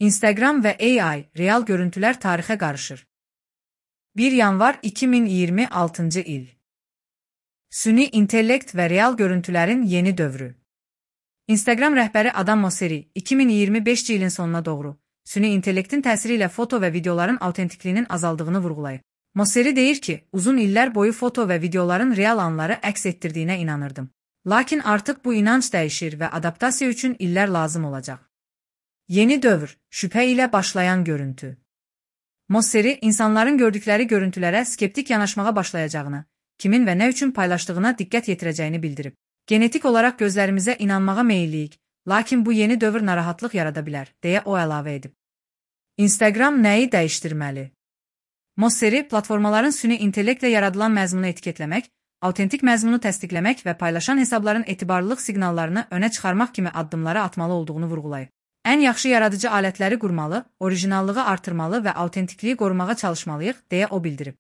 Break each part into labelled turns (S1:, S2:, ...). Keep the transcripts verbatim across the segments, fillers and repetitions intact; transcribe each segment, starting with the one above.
S1: Instagram və A I, real görüntülər tarixə qarışır. bir yanvar iki min iyirmi altıncı il. Süni intellekt və real görüntülərin yeni dövrü. Instagram rəhbəri Adam Mosseri, iki min iyirmi beşinci ilin sonuna doğru, süni intellektin təsiri ilə foto və videoların autentikliyinin azaldığını vurğulayıb. Mosseri deyir ki, uzun illər boyu foto və videoların real anları əks etdirdiyinə inanırdım. Lakin artıq bu inanc dəyişir və adaptasiya üçün illər lazım olacaq. Yeni dövr, şübhə ilə başlayan görüntü. Mosseri, insanların gördükləri görüntülərə skeptik yanaşmağa başlayacağını, kimin və nə üçün paylaşdığına diqqət yetirəcəyini bildirib. Genetik olaraq gözlərimizə inanmağa meyilliyik, lakin bu yeni dövr narahatlıq yarada bilər, deyə o əlavə edib. Instagram nəyi dəyişdirməli? Mosseri, platformaların süni intellektlə yaradılan məzmunu etiketləmək, autentik məzmunu təsdiqləmək və paylaşan hesabların etibarlılıq siqnallarını önə çıxarmaq kimi addımlara atmalı olduğunu vurğulayıb. Ən yaxşı yaradıcı alətləri qurmalı, orijinallığı artırmalı və autentikliyi qorumağa çalışmalıyıq, deyə o bildirib.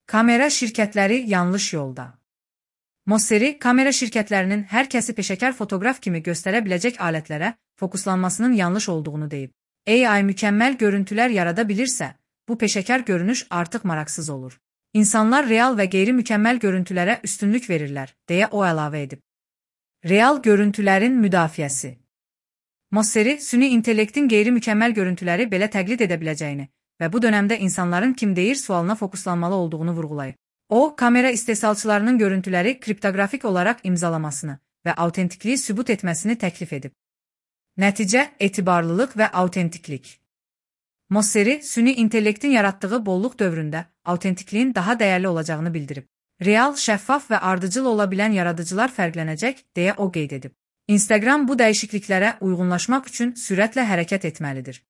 S1: Kamera şirkətləri yanlış yolda. Mosseri, kamera şirkətlərinin hər kəsi peşəkar fotoqraf kimi göstərə biləcək alətlərə fokuslanmasının yanlış olduğunu deyib. A I mükəmməl görüntülər yarada bilirsə, bu peşəkar görünüş artıq maraqsız olur. İnsanlar real və qeyri-mükəmməl görüntülərə üstünlük verirlər, deyə o əlavə edib. Real görüntülərin müdafiəsi. Mosseri, süni intellektin qeyri-mükəmməl görüntüləri belə təqlid edə biləcəyini və bu dönəmdə insanların kim deyir sualına fokuslanmalı olduğunu vurğulayıb. O, kamera istehsalçılarının görüntüləri kriptografik olaraq imzalamasını və autentikliyi sübut etməsini təklif edib. Nəticə, etibarlılıq və autentiklik. Mosseri, süni intellektin yaratdığı bolluq dövründə autentikliyin daha dəyərli olacağını bildirib. Real, şəffaf və ardıcıl ola bilən yaradıcılar fərqlənəcək, deyə o qeyd edib. Instagram bu dəyişikliklərə uyğunlaşmaq üçün sürətlə hərəkət etməlidir.